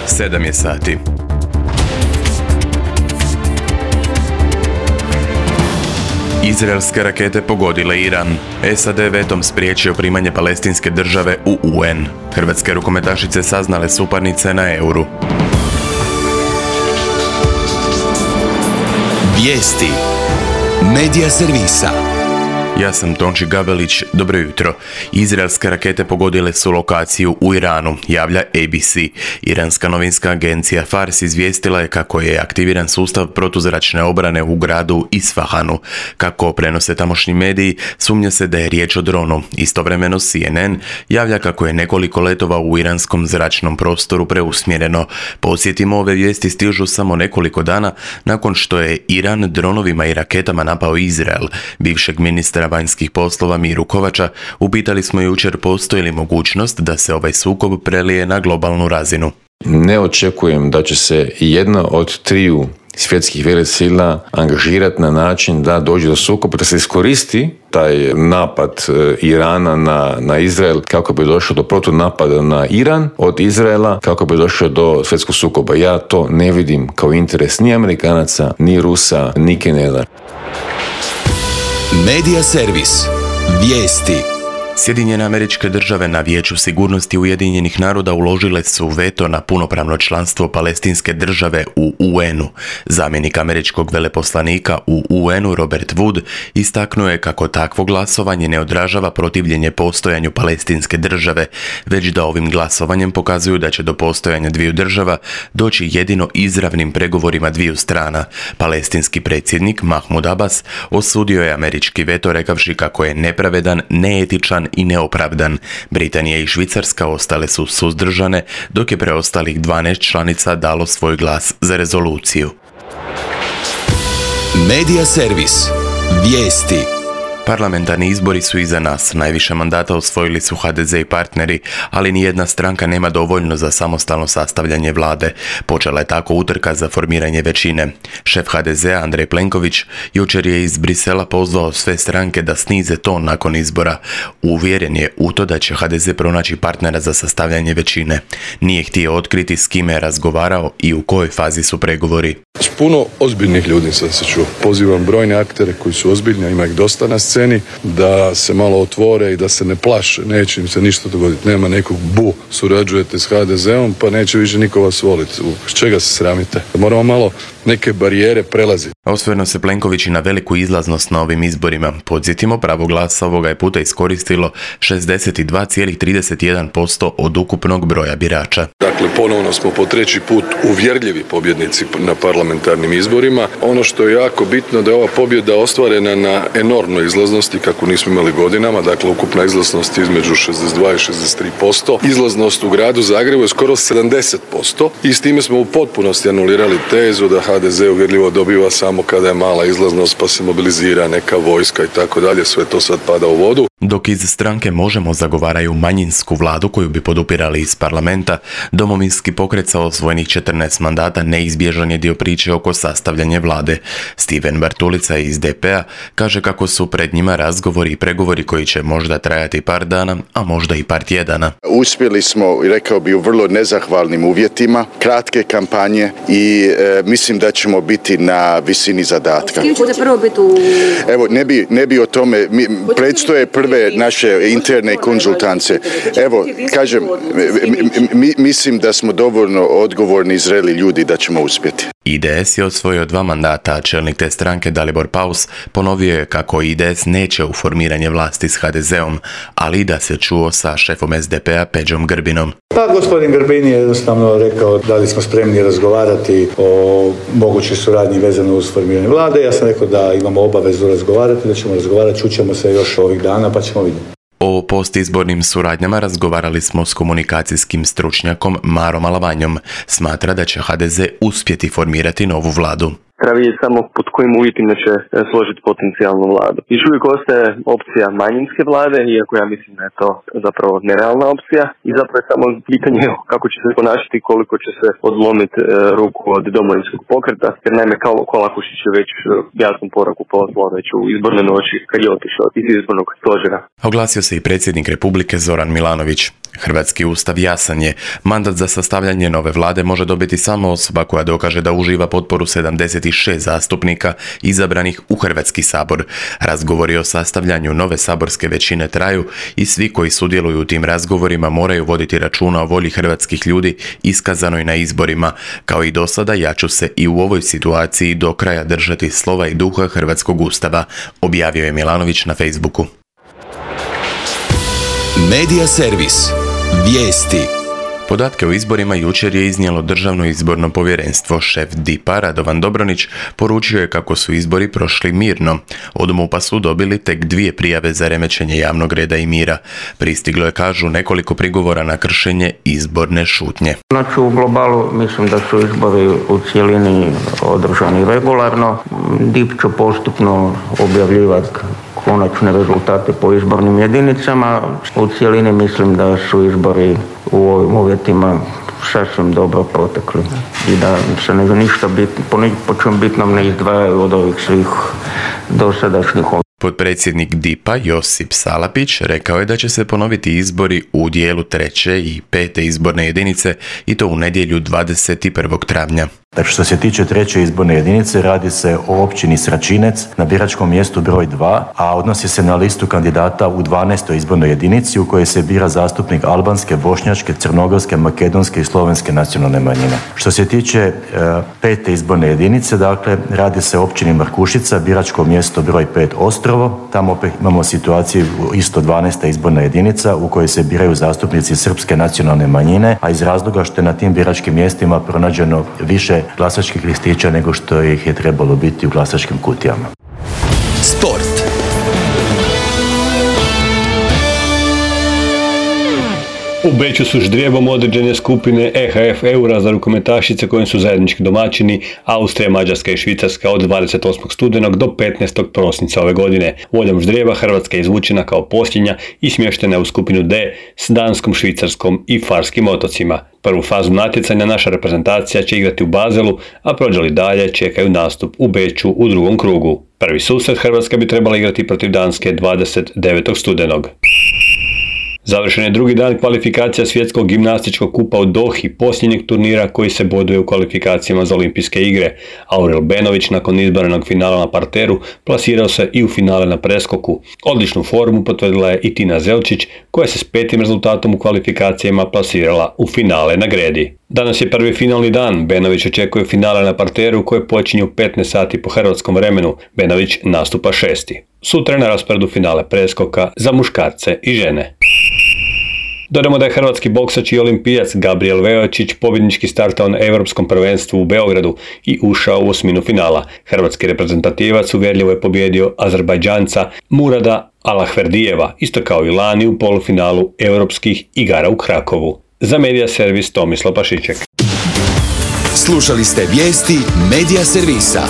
7 je sati. Izraelske rakete pogodile Iran. SAD vetom spriječio primanje palestinske države u UN. Hrvatske rukometašice saznale suparnice na Euru. Vijesti Medija servisa. Ja sam Tonči Gabelić, dobro jutro. Izraelske rakete pogodile su lokaciju u Iranu, javlja ABC. Iranska novinska agencija Fars izvijestila je kako je aktiviran sustav protuzračne obrane u gradu Isfahanu. Kako prenose tamošnji mediji, sumnja se da je riječ o dronu. Istovremeno CNN javlja kako je nekoliko letova u iranskom zračnom prostoru preusmjereno. Podsjetimo, ove vijesti stižu samo nekoliko dana nakon što je Iran dronovima i raketama napao Izrael. Bivšeg ministra vanjskih poslova Miru Kovača upitali smo jučer postoji li mogućnost da se ovaj sukob prelije na globalnu razinu. Ne očekujem da će se jedna od triju svjetskih velesila angažirati na način da dođe do sukoba, da se iskoristi taj napad Irana na Izrael kako bi došlo do protunapada na Iran od Izraela, kako bi došlo do svjetskog sukoba. Ja to ne vidim kao interes ni Amerikanaca, ni Rusa, ni Kineza. Medija servis. Vijesti. Sjedinjene Američke Države na Vijeću sigurnosti Ujedinjenih naroda uložile su veto na punopravno članstvo palestinske države u UN-u. Zamjenik američkog veleposlanika u UN-u Robert Wood istaknuo je kako takvo glasovanje ne odražava protivljenje postojanju palestinske države, već da ovim glasovanjem pokazuju da će do postojanja dviju država doći jedino izravnim pregovorima dviju strana. Palestinski predsjednik Mahmud Abbas osudio je američki veto rekavši kako je nepravedan, neetičan i neopravdan. Britanija i Švicarska ostale su suzdržane, dok je preostalih 12 članica dalo svoj glas za rezoluciju. Medija servis. Vijesti. Parlamentarni izbori su iza nas. Najviše mandata osvojili su HDZ i partneri, ali nijedna stranka nema dovoljno za samostalno sastavljanje vlade. Počela je tako utrka za formiranje većine. Šef HDZ-a Andrej Plenković jučer je iz Brisela pozvao sve stranke da snize ton nakon izbora. Uvjeren je u to da će HDZ pronaći partnera za sastavljanje većine. Nije htio otkriti s kime je razgovarao i u kojoj fazi su pregovori. S puno ozbiljnih ljudi sam se čuo. Pozivam brojne aktere koji su ozbiljni, a ima ih dosta na sceni, da se malo otvore i da se ne plaše. Neće im se ništa dogoditi. Nema nekog surađujete s HDZ-om, pa neće više niko vas voliti. S čega se sramite? Moramo malo neke barijere prelaziti. Osvrnuo se Plenković i na veliku izlaznost na ovim izborima. Podsjetimo, pravo glasa ovoga je puta iskoristilo 62,31% od ukupnog broja birača. Dakle, ponovno smo po treći put uvjerljivi pobjednici na parlamentarnim izborima. Ono što je jako bitno da je ova pobjeda ostvarena na enormnoj izlaznosti kako nismo imali godinama. Dakle, ukupna izlaznost između 62 i 63%. Izlaznost u gradu Zagrebu je skoro 70%. I s time smo u potpunosti anulirali tezu da HDZ uvjerljivo dobiva samo kada je mala izlaznost pa se mobilizira neka vojska i tako dalje. Sve to sad pada u vodu. Dok iz stranke Možemo zagovaraju manjinsku vladu koju bi podupirali iz parlamenta, Domovinski pokret sa osvojenih 14 mandata neizbježan je dio priče oko sastavljanja vlade. Stiven Bartulica iz DP-a kaže kako su pred njima razgovori i pregovori koji će možda trajati par dana, a možda i par tjedana. Uspjeli smo, rekao bi, u vrlo nezahvalnim uvjetima, kratke kampanje i mislim da ćemo biti na visini zadatka. Evo, ne bi o tome, predstoje prve naše interne konzultance. Evo, kažem, mislim da smo dovoljno odgovorni i zreli ljudi da ćemo uspjeti. IDS je osvojio 2 mandata, a čelnik te stranke Dalibor Paus ponovio je kako IDS neće u formiranje vlasti s HDZ-om, ali i da se čuo sa šefom SDP-a Peđom Grbinom. Pa gospodin Grbin je jednostavno rekao da li smo spremni razgovarati o mogućoj suradnji vezano uz formiranje vlade. Ja sam rekao da imamo obavezu razgovarati, da ćemo razgovarati, čućemo se još ovih dana pa ćemo vidjeti. O postizbornim suradnjama razgovarali smo s komunikacijskim stručnjakom Marom Alavanjom. Smatra da će HDZ uspjeti formirati novu vladu. Treba vidjeti samo pod kojim uvjetima će složiti potencijalnu vladu. Još uvijek ostaje opcija manjinske vlade, iako ja mislim da je to zapravo nerealna opcija. I zapravo je samo pitanje kako će se ponašati, koliko će se odlomiti ruku od Domovinskog pokreta. Jer naime Kolakušić je već jasnu poruku poslao već u izbornoj noći kad je otišao iz izbornog stožera. Oglasio se i predsjednik Republike Zoran Milanović. Hrvatski ustav jasan je. Mandat za sastavljanje nove vlade može dobiti samo osoba koja dokaže da uživa potporu 76 zastupnika izabranih u Hrvatski sabor. Razgovori o sastavljanju nove saborske većine traju i svi koji sudjeluju u tim razgovorima moraju voditi računa o volji hrvatskih ljudi iskazanoj na izborima. Kao i do sada, ja ću se i u ovoj situaciji do kraja držati slova i duha Hrvatskog ustava, objavio je Milanović na Facebooku. Medija servis. Vijesti. Podatke o izborima jučer je iznijelo Državno izborno povjerenstvo. Šef DIP-a Radovan Dobronić poručio je kako su izbori prošli mirno. Od MUP-a su dobili tek 2 prijave za remećenje javnog reda i mira. Pristiglo je, kažu, nekoliko prigovora na kršenje izborne šutnje. Znači, u globalu mislim da su izbori u cijelini održani regularno. DIP će postupno objavljivati konačne rezultate po izbornim jedinicama. U cijelini mislim da su izbori u ovim uvjetima sasvim dobro protekli i da se ništa po čem bitnom ne izdvajaju od ovih svih dosadašnjih. Potpredsjednik DIP-a Josip Salapić rekao je da će se ponoviti izbori u dijelu 3. i 5. izborne jedinice i to u nedjelju 21. travnja. Dakle, što se tiče 3. izborne jedinice, radi se o općini Sračinec na biračkom mjestu broj 2, a odnosi se na listu kandidata u 12. izbornoj jedinici u kojoj se bira zastupnik albanske, bošnjačke, crnogorske, makedonske i slovenske nacionalne manjine. Što se tiče 5. izborne jedinice, dakle, radi se o općini Markušica, biračko mjesto broj 5 Ostrovo. Tamo opet imamo situaciju isto 12. izborna jedinica u kojoj se biraju zastupnici srpske nacionalne manjine, a iz razloga što je na tim biračkim mjestima pronađeno više glasačkih listića nego što ih je trebalo biti u glasačkim kutijama. Sport. U Beču su ždrijebom određene skupine EHF Eura za rukometašice kojim su zajednički domaćini Austrija, Mađarska i Švicarska od 28. studenog do 15. prosinca ove godine. Voljom ždrijeba Hrvatska je izvučena kao posljednja i smještena u skupinu D s Danskom, Švicarskom i Farskim otocima. Prvu fazu natjecanja naša reprezentacija će igrati u Bazelu, a prođe li dalje čekaju nastup u Beču u drugom krugu. Prvi susret Hrvatska bi trebala igrati protiv Danske 29. studenog. Završen je drugi dan kvalifikacija svjetskog gimnastičkog kupa u Dohi, posljednjeg turnira koji se boduje u kvalifikacijama za olimpijske igre. Aurel Benović nakon izborenog finala na parteru plasirao se i u finale na preskoku. Odličnu formu potvrdila je i Tina Zelčić koja se s 5. rezultatom u kvalifikacijama plasirala u finale na gredi. Danas je prvi finalni dan. Benović očekuje finale na parteru koje počinju u 15 sati po hrvatskom vremenu. Benović nastupa 6. Sutra je na rasporedu finale preskoka za muškarce i žene. Dodamo da je hrvatski boksač i olimpijac Gabriel Veočić pobjednički startao na Europskom prvenstvu u Beogradu i ušao u osminu finala. Hrvatski reprezentativac uvjerljivo je pobijedio Azerbajdžanca Murada Alahverdijeva, isto kao i lani u polufinalu Europskih igara u Krakovu. Za Medija servis Tomislav Pašiček. Slušali ste vijesti Medija servisa.